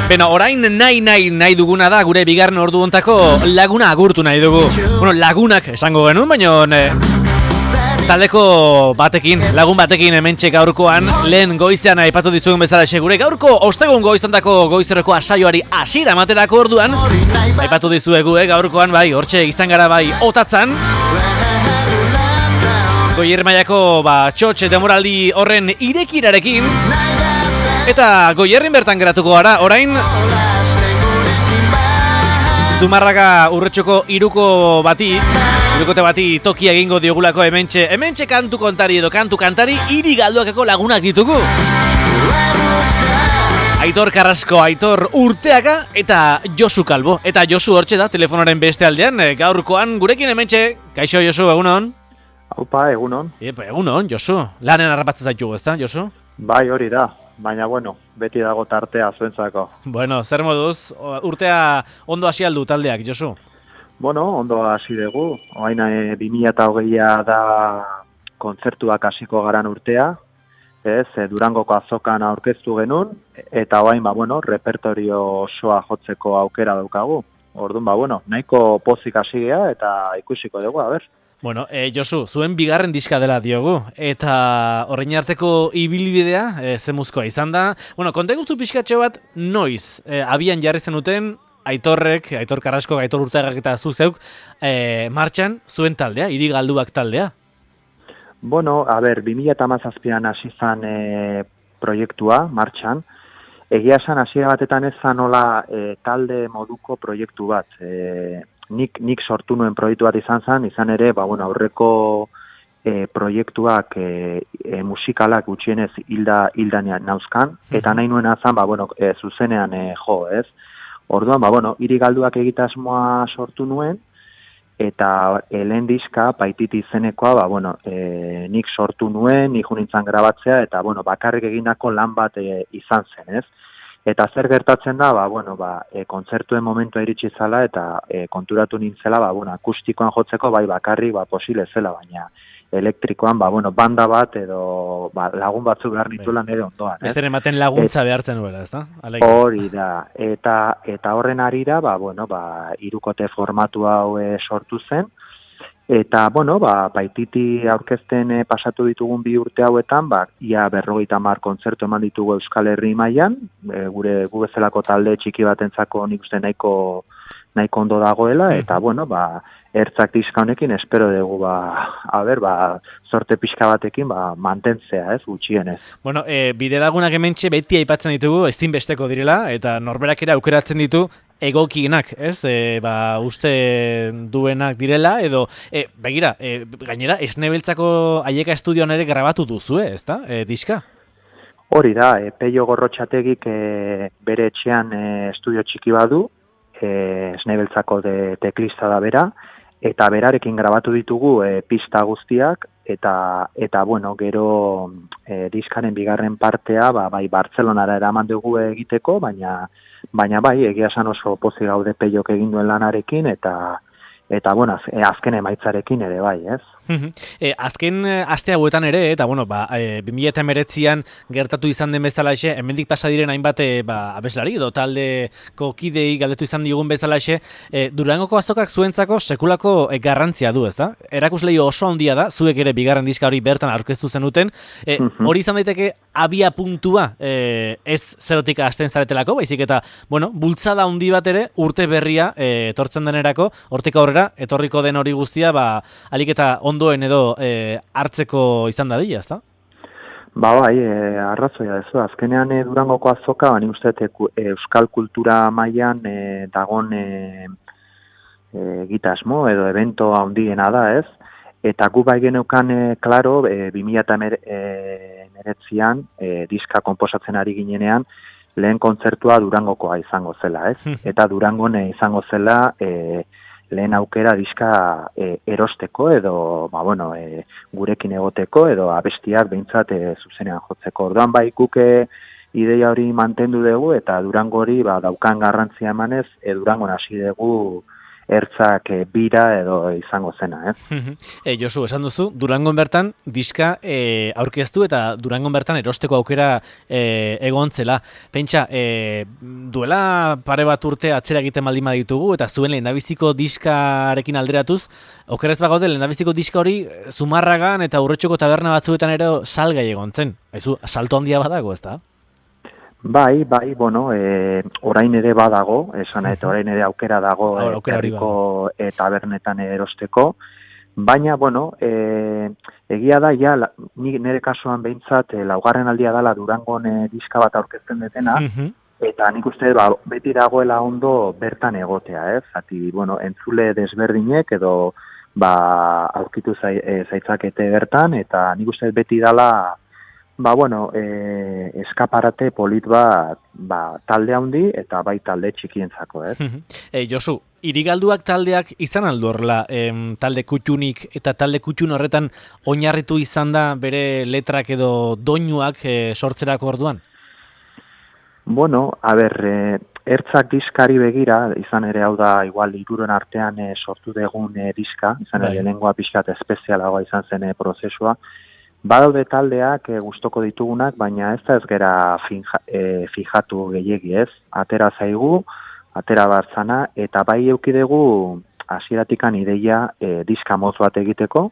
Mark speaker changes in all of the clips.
Speaker 1: Beno, orain nahi duguna da gure bigarren ordu hontako laguna agurtu nahi dugu. Bueno, lagunak esango genuen, baina taldeko batekin, lagun batekin hementxe gaurkoan, lehen goizean aipatu dizuen bezala gure gaurko ostegun goiztantako goizerreko asaioari hasiera ematerako orduan, aipatu dizuegu gaurkoan bai, hortxe izan gara bai otatzan. Goier mailako txotxe demoraldi horren irekirarekin. Eta Goierrin bertan geratuko gara, orain Zumarraga Urretxoko irukote bati toki egingo diogulako hementxe kantu kontari edo kantu kantari hiri galduakeko lagunak ditugu. Aitor Carrasco, Aitor Urteaga eta Josu Kalbo. Eta Josu hortxe da, telefonoren beste aldean, gaurkoan gurekin hementxe. Kaixo Josu, egunon?
Speaker 2: Aupa, egunon.
Speaker 1: Egunon, Josu. Lanen harrapatzen zaitugu, ezta, Josu?
Speaker 2: Bai, hori da. Baina, beti dago tartea zuentzako.
Speaker 1: Bueno, zer moduz, urtea ondo hasi aldu taldeak, Josu?
Speaker 2: Ondo hasi dugu. Oain 2020a da kontzertuak hasiko garan urtea. Durangoko azokan aurkeztu genuen. Eta oain, repertorio osoa jotzeko aukera daukagu. Orduan, nahiko pozik hasi gea eta ikusiko dugu, a ber.
Speaker 1: Bueno, Josu, zuen bigarren diska dela diogu, eta horrein arteko ibilbidea zemuzkoa izan da. Bueno, kontegutu pixkatxo bat, noiz abian jarri zenuten Aitor Carrasco, Aitor Urteagak eta zuzeuk martxan zuen taldea, hiri galduak taldea?
Speaker 2: 2017an hasi zan proiektua martxan. Egia esan hasiera batetan ez zanola talde moduko proiektu bat. Nik sortu nuen proiektu bat izan ere, aurreko proiektuak musikalak gutxienez hildanean nauzkan, eta nahi nuen azan, zuzenean ez. Orduan, hiri galduak egitasmoa sortu nuen, eta lehen diska, Paititi izenekoa, nik sortu nuen, nik nintzen grabatzea, eta bakarrik egindako lan bat izan zen, ez? Eta zer gertatzen da, kontzertuen momentua iritsi zala eta konturatu nintzela, akustikoan jotzeko bakarrik posible zela, baina elektrikoan, banda bat edo lagun batzuk behar nituela nire ondoan.
Speaker 1: Ez ematen laguntza behartzen duela, ez da?
Speaker 2: Hori da, eta horren arira, hirukote formatu hau sortu zen, eta, Paititi aurkezten pasatu ditugun 2 urte hauetan, ia 50 kontzertu eman ditugu Euskal Herri mailan, gu bezalako talde txiki batentzako nik uste nahiko ondo dagoela, eta, ertzak diska honekin espero dugu, sorte pixka batekin, mantentzea, ez, gutxienez.
Speaker 1: Bueno, bide lagunak hementxe beti aipatzen ditugu, ezinbesteko direla, eta norberak ere aukeratzen ditu, egokienak, ez? Uste duenak direla, edo, begira, gainera, Esnebeltzako Aieka Estudioan ere grabatu duzue, ez da, diska?
Speaker 2: Hori da, Peio Gorrotxategik bere etxean estudio txiki badu, Esnebeltzako teklista da bera, eta berarekin grabatu ditugu pista guztiak, eta gero diskaren bigarren partea, Bartzelonara eraman dugu egiteko, baina egia esan oso pozik gaude Peiok egin duen lanarekin, eta azken emaitzarekin ere bai, ez?
Speaker 1: Azken aste hauetan ere, eta 2019an gertatu izan den bezalaxe, hemendik pasa diren hainbat abeslari edo taldeko kidei galdetu izan digun bezalaxe, Durangoko azokak zuentzako sekulako garrantzia du, ezta? Erakuslei oso handia da, zuek ere bigarren diska hori bertan aurkeztu zenuten, hori izan daiteke abia puntua ez zerotik hasten zaretelako, baizik eta, bultzada handi bat ere urte berria etortzen denerako, hortik aurrera, etorriko den hori guztia, alik eta ondoen edo hartzeko izan dadila, ezta?
Speaker 2: Arrazoia ez. Azkenean Durangoko azoka, nik uste euskal kultura mailan dagon egitasmo edo evento handiena da, ez? Eta gu bai geneukan, klaro, 2019an diska konposatzen ari ginenean, lehen kontzertua Durangokoa izango zela, ez? Eta Durangon izango zela lehen aukera diska erosteko edo, gurekin egoteko edo abestiak behintzat zuzenean jotzeko. Orduan guk ideia hori mantendu dugu eta Durango hori daukan garrantzia emanez, Durangon hasi dugu ertzak bira edo izango zena,
Speaker 1: Josu, esan duzu, Durangon bertan diska aurkeztu eta Durangon bertan erosteko aukera egon zela. Pentsa, duela pare bat urte atzera egiten baldin baditugu eta zuen lehendabiziko diskarekin alderatuz, okerrez bagaude lehendabiziko diska hori Zumarragan eta Urretxoko taberna batzuetan ere salgai egon zen. Aizu, salto handia badago, ez da?
Speaker 2: Bai, bueno, orain ere badago, esan eta orain ere aukera dago herriko tabernetan erosteko, baina, bueno, egia da, ja, nire kasuan behintzat, laugarren aldia dela Durangon diska bat aurkezten detena, eta nik uste beti dagoela ondo bertan egotea, Zati, bueno, entzule desberdinek edo aurkitu zaitzakete bertan, eta nik uste beti dela bueno, eskaparate polit bat talde handi eta bai talde txikientzako,
Speaker 1: Josu, Irigalduak taldeak izan aldu horrela talde kutxunik eta talde kutxun horretan oinarritu izan da bere letrak edo doinuak sortzerako orduan?
Speaker 2: Bueno, a ber, ertzak diskari begira, izan ere hau da igual hiruren artean sortu degun diska, izan ere lehenengoa pixkat espezialagoa izan zen prozesua. Badaude taldeak gustoko ditugunak, baina ez da ez gera fijatu gehiegi, Atera zaigu, atera bartzana, eta bai eukidegu hasieratikan ideia diska motz bat egiteko,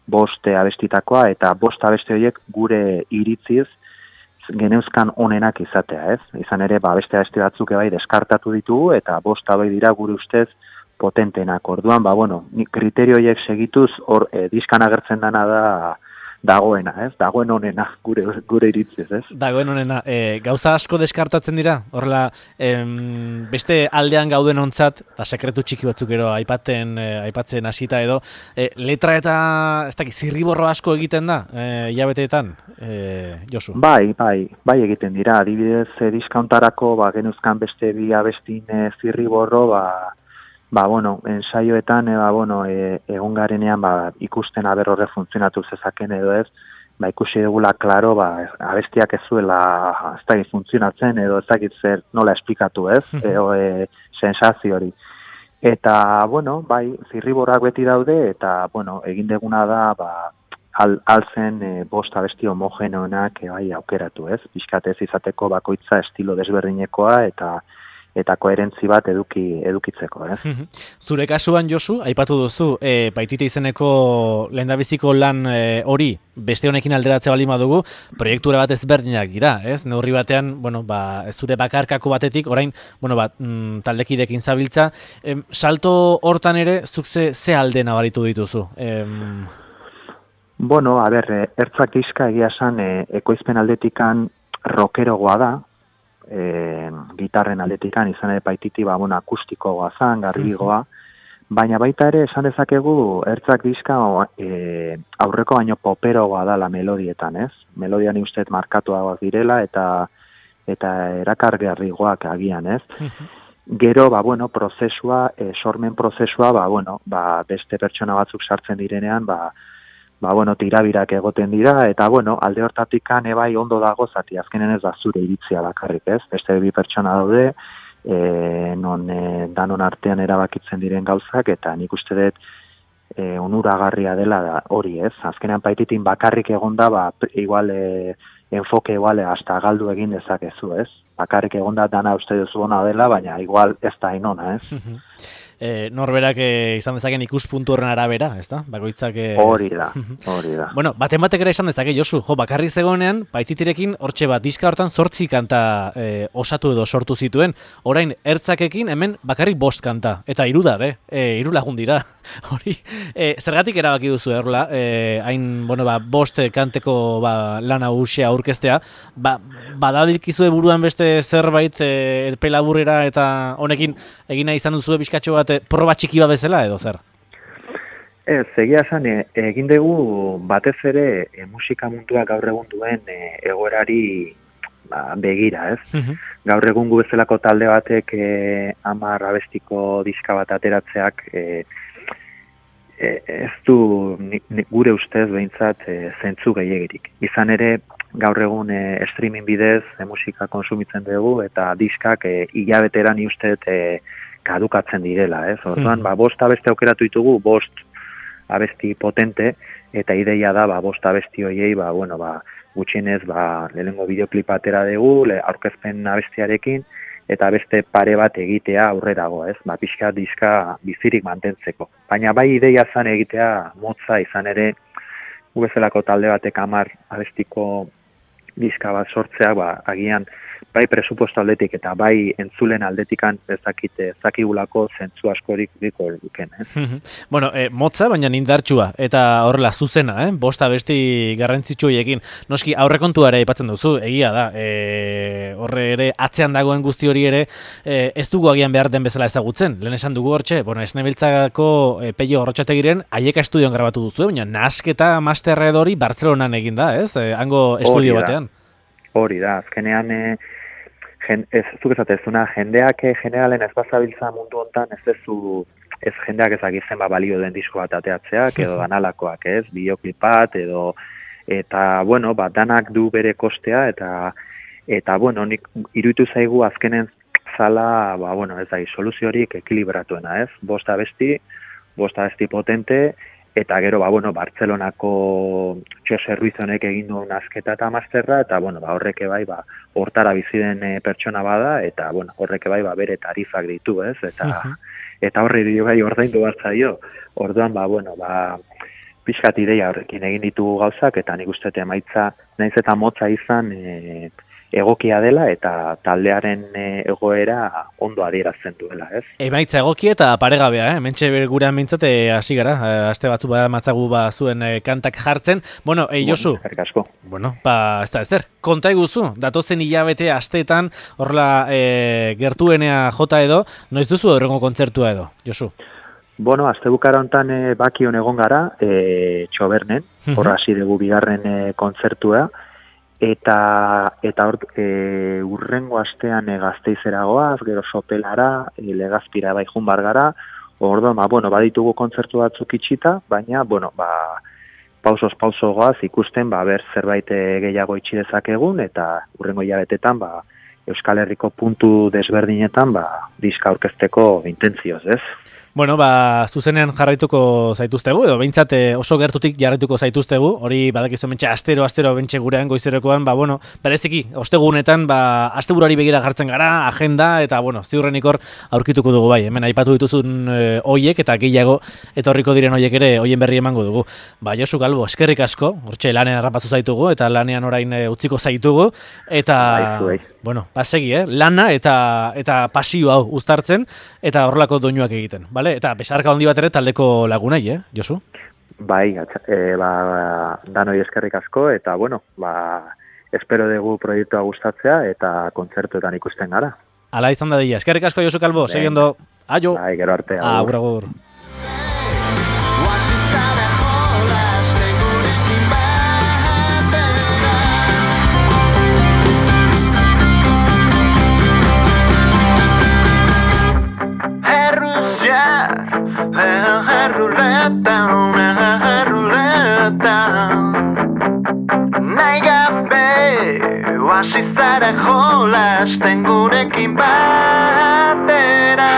Speaker 2: 5 abestitakoa, eta 5 abesti horiek gure iritziz geneuzkan onenak izatea, Izan ere, beste abesti batzuk bai deskartatu ditugu, eta 5 bai dira gure ustez potentenak. Orduan, bueno, kriterio horiek segituz, hor diskan agertzen dana dagoena, dagoen onena, gure iritziz,
Speaker 1: Dagoen onena, gauza asko deskartatzen dira, horrela, beste aldean gauden ontzat, eta sekretu txiki batzuk ero aipatzen hasita edo, letra eta, ez dakit, zirriborro asko egiten da, hilabeteetan, Josu?
Speaker 2: Bai egiten dira, adibidez, diskauntarako, genuzkan beste bi abestin zirriborro, bueno, ensaioetan, egon garenean, ikusten aber horre funtzionatu zezaken edo ez, ikusi dugula, klaro, abestiak ez zuela, ez dakit funtzionatzen, edo ez dakit zer nola esplikatu ez, sensazio hori. Eta, bueno, zirriborrak beti daude, eta, egin deguna da, altzen 5 abesti homogenoenak aukeratu ez, pixkatez izateko bakoitza estilo desberdinekoa, eta koherentzi bat edukitzeko,
Speaker 1: Zure kasuan, Josu, aipatu duzu, Baitite izeneko lehendabiziko lan hori beste honekin alderatze baldin badugu, proiektura bat ezberdinak dira, Neurri batean, zure bakarkako batetik, orain, taldekidekin zabiltza, salto hortan ere, zuk ze alde nabaritu dituzu?
Speaker 2: Bueno, a ber, ertzak diska egia esan ekoizpen aldetikan rockerogoa da, gitarren aldetikan izan ere Baititi akustikoa zan, garbigoa, baina baita ere esan dezakegu ertzak diska aurreko baino poperoa da la melodietan, Melodian ustez markatuagoak direla eta erakargarrigoak agian, Gero, prozesua, sormen prozesua, beste pertsona batzuk sartzen direnean, tirabirak egoten dira, eta, alde hortatikan ebai ondo dago, zati azkenen ez da zure iritzia bakarrik, Beste bi pertsona daude, danon artean erabakitzen diren gauzak, eta nik uste dut onuragarria dela hori, Azkenean Baititin bakarrik egonda, igual, enfoke igual, hasta galdu egin dezakezu, Bakarrik egonda dana uste duzu ona dela, baina igual ez da inona,
Speaker 1: Norberak izan dezaken ikuspuntu horren arabera, ezta? Bakoitzak
Speaker 2: hori da.
Speaker 1: Bueno, batek ere esan dezake, Josu, bakarrik zegoenean, Baititirekin hortxe diska hortan 8 kanta osatu edo sortu zituen. Orain, ertzakekin hemen bakarrik 5 kanta. Eta 3 3 lagun dira. Hori, zergatik erabaki duzu erla, hain, 5 kanteko lana nagusia aurkeztea, badabilkizue buruan beste zerbait pelaburrera eta honekin egina izan duzu bizkatxo bat proba txiki bat bezala edo zer?
Speaker 2: Egia esan, egin dugu batez ere musika munduak gaur egun duen egoerari begira, Gaur egun gu bezalako talde batek 10 abestiko diska bat ateratzeak ez du gure ustez behintzat zentzu gehiegirik. Izan ere, gaur egun streaming bidez musika konsumitzen dugu eta diskak hilabeteran uste kadukatzen direla, ez? Orduan, bost abesti aukeratu ditugu, bost abesti potente, eta ideia da, bost abesti hoiei, gutxienez, lehenengo bideoklipa atera dugu, aurkezpen abestiarekin, eta beste pare bat egitea aurrerago, ez? Pixka diska bizirik mantentzeko. Baina bai ideia zan egitea motza izan ere, gu bezalako talde batek 10 abestiko diska bat sortzea, agian bai presupuesto aldetik eta bai entzulen aldetikan ezakigulako zentzu askorik diko luken.
Speaker 1: Bueno, motza, baina indartsua, eta horrela zuzena, bost abesti garrantzitsu horiekin. Noski, aurrekontua ere aipatzen duzu, egia da, horre ere atzean dagoen guzti hori ere, ez dugu agian behar den bezala ezagutzen. Lehen esan dugu hortxe, Esnebiltzako Peio Gorrotxategiren Aieka estudioan grabatu duzu, baina nasketa masterra edo hori Bartzelonan egin da, ez? Hango estudio batean.
Speaker 2: Hori da, azkenean ez zuk esatezuna, jendeak generalen ez bazabiltza mundu hontan ez jendeak ezagitzen balio den disko bat ateatzeak edo danalakoak, ez, bideoklipat eta danak du bere kostea eta nik iruditu zaigu azkenen zala, ez da, soluziorik ekilibratuena, ez, bost abesti potente, eta gero, Bartzelonako Txose Ruiz honek egin duen nasketa eta masterra, eta, horreke bai, hortara bizi den pertsona bada, eta, horreke bai, bere tarifak ditu, ez, eta horre dio gai ordaindu batzaio. Orduan, pixkat ideia horrekin egin ditugu gauzak, eta nik uste emaitza, naiz eta motza izan egokia dela, eta taldearen egoera ondo adierazten duela, ez?
Speaker 1: Emaitza egokia eta paregabea, mentxe gurean mintzate hasi gara, aste batzu matzagu zuen kantak jartzen. Josu.
Speaker 2: Eskerrik asko.
Speaker 1: Ez da ezer. Konta iguzu, datozen hilabete asteetan, horrela gertuenea jota edo, noiz duzu horrengo kontzertua edo, Josu?
Speaker 2: Astebukara hontan Bakion egon gara, Txobernen, horra hasi dugu bigarren kontzertua, eta urrengo astean Gasteizera goaz, gero Sopelara, Legazpira bai joan bar gara, orduan, baditugu kontzertu batzuk itxita, baina, pauso goaz ikusten, ber zerbait gehiago itxi dezakegun, eta urrengo hilabetetan, Euskal Herriko puntu desberdinetan, diska aurkezteko intentzioz, ez?
Speaker 1: Zuzenean jarraituko zaituztegu, edo behintzat oso gertutik jarraituko zaituztegu, hori badakizu mentxe astero bentxe gurean goizerokoan, bereziki, ostegunetan, asteburuari begira jartzen gara, agenda, eta, ziurrenik hor aurkituko dugu bai, hemen aipatu dituzun hoiek, eta gehiago, etorriko diren hoiek ere, hoien berri emango dugu. Josu Galbo, eskerrik asko, hortxe lanean harrapatzu zaitugu, eta lanean orain utziko zaitugu, eta, segi, lana eta pasio hau uztartzen, eta horrelako doinuak egiten, eta besarka handi bat ere taldeko lagunei, Josu?
Speaker 2: Bai, danoi eskerrik asko, eta, espero dugu proiektua gustatzea, eta kontzertuetan ikusten gara.
Speaker 1: Ala izan da dira. Eskerrik asko, Josu Calvo, seguindo. Aio!
Speaker 2: Bai, gero arte.
Speaker 1: Agur, agur.
Speaker 3: Hasi zara jolasten gurekin batera.